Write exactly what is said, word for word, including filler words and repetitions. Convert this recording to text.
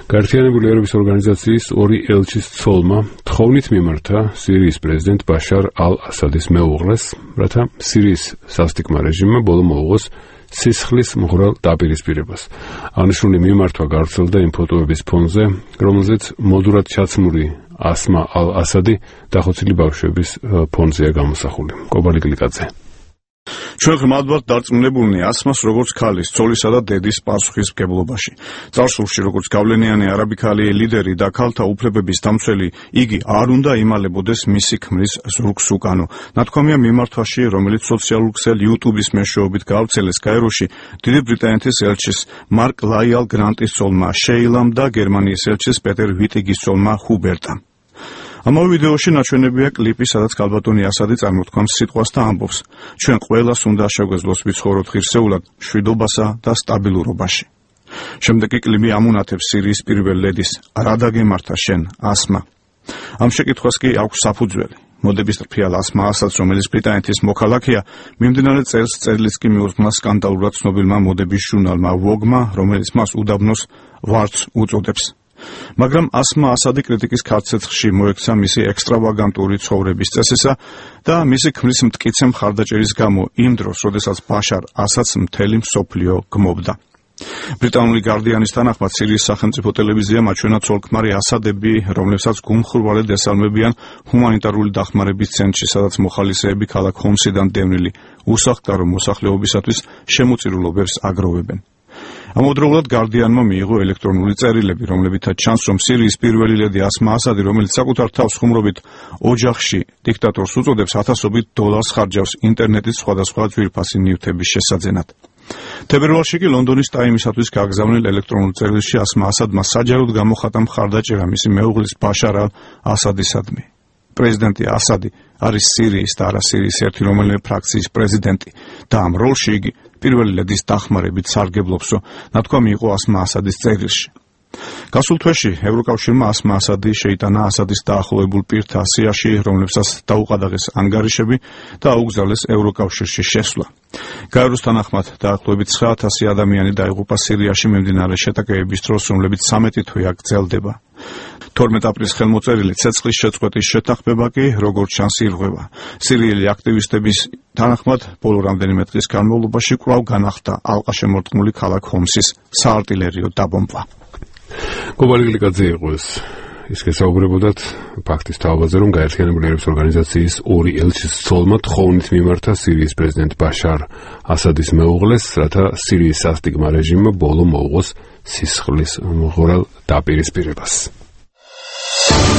გაერთიანებული ერების ორგანიზაციის ორი ელჩის ცოლმა თხოვნით მიმართა სირიის პრეზიდენტ ბაშარ ალ-ასადის მეუღლეს, რათა სირიის სასტიკმა რეჟიმმა ბოლო მოუღოს სისხლის მღვრელ დაპირისპირებას. აღნიშნული მიმართვა გავრცელდა იმ ფოტოების ფონზე, რომელზეც მოდურად ჩაცმული ასმა ალ-ასადი დახოცილი ბავშვების ფონზეა გამოსახული. კობალი გლიკაძე. ჩვენ ღრმად ვართ დარწმუნებულნი ასმას როგორც ქალის, ცოლისა და დედის პასუხისმგებლობაში. წარსულში როგორც გავლენიანი არაბიკალი ლიდერი და ქალთა უფლებების დამცველი, იგი არ უნდა იმალებოდეს მისი ქმრის ზურგს უკანო. ნათქვამია მიმართვაში, რომელიც სოციალურ ქსელ YouTube-ის მეშვეობით გავრცელეს კაიროში, დიდი ბრიტანეთის ელჩის მარკ ლაიალ გრანტის ცოლმა შეილამ და გერმანიის ელჩის პეტერ ვიტიგის ცოლმა ჰუბერტამ. ამავე ვიდეოში ნაჩვენებია კლიპი, სადაც ქალბატონი ასადი წარმოთქვამს სიტყვას და ამბობს: ჩვენ ყველას უნდა შეგვეძლოს ვიცხოვროთ ღირსეულად, მშვიდობასა და სტაბილურობაში. შემდეგ კი კლიპი ამუნათებს სირიის პირველ ლედის: რა დაგემართა შენ, ასმა? ამ შეკითხვას კი აქვს საფუძველი. მოდების რფიალ ასმა ასადს, რომელიც ბრიტანეთის მოქალაქეა, მიმდინარე წელს წერილიც კი მიუძღვნა სკანდალურად ცნობილმა მოდების ჟურნალმა ვოგმა, რომელიც მას უდაბნოს ვარდს უწოდებს. მაგრამ ასმა ასადი კრიტიკის ქარცეცხლში მოექცა მისი ექსტრავაგანტური ცხოვრების წესისა და მისი ქმრის მტკიცე მხარდაჭერის გამო იმ დროს, როდესაც ბაშარ ასადს მთელი მსოფლიო გმობდა. ბრიტანული გარდიანის თანახმად სირიის სახელმწიფო ტელევიზიამ აჩვენა ცოლ-ქმარი ასადები, რომლებსაც გულმხურვალედ ესალმებიან ჰუმანიტარული დახმარების ცენტრში, სადაც მოხალისეები ქალაქ ჰომსიდან დევნილი უსახლკარო მოსახლეობისათვის შემოწირულობებს აგროვებენ. ამავდროულად გარდიანმა მიიღო ელექტრონული წერილები, რომლებითაც ჩანს, რომ სირიის პირველი ლედი ასმა ასადი, რომელიც საკუთარ თავს ხუმრობით ოჯახში დიქტატორს უწოდებს, ათასობით დოლარს ხარჯავს ინტერნეტის სხვადასხვა ძვირფასი ნივთების შესაძენად. თებერვალში კი ლონდონის ტაიმისათვის გაგზავნილ ელექტრონულ წერილში ასმა ასადმა საჯაროდ გამოხატა მხარდაჭერა მისი მეუღლის ბაშარ ალ-ასადისადმი. პრეზიდენტი ასადი არის სირიის და არა სირიის ერთი რომელიმე ფრაქციის პრეზიდენტი და ამ როლში იგი პირველი ლედის დახმარებით სარგებლობსო, ნათქვამი იყო ასმა ასადის წერილში. გასულ თვეში ევროკავშირმა ასმა ასადი შეიტანა ასადის დაახლოებულ პირთა სიაში, რომლებსაც დაუყადაღეს ანგარიშები და აუგზავნეს ევროკავშირში შესვლა. გაეროს თანახმად დაახლოებით ცხრა ათასი ადამიანი დაიღუპა სირიაში მიმდინარე შეტაკებების დროს, რომლებიც სამეტი თვე აქ გრძელდება. თორმეტ აპრილის ხელმოწერილი ცეცხლის შეწყვეტის შეთანხმება კი, როგორც ჩანს, ირღვევა. სირიელი აქტივისტების თანახმად, ბოლო რამდენიმე დღის განმავლობაში კვლავ განახლდა ალყაშემორტყმული ქალაქ ჰომსის საარტილერიო დაბომბვა. კობალი გლიკაძე იყო ეს. ის გესაუბრებოდათ ფაქტის თავაზე, რომ გაერთიანებული ერების ორგანიზაციის ორი ელჩის ცოლმა თხოვნით მიმართა სირიის პრეზიდენტ ბაშარ ასადის მეუღლეს, რათა სირიის სასტიკმა რეჟიმმა ბოლო მოუღოს სისხლის მღვრელ დაპირისპირებას.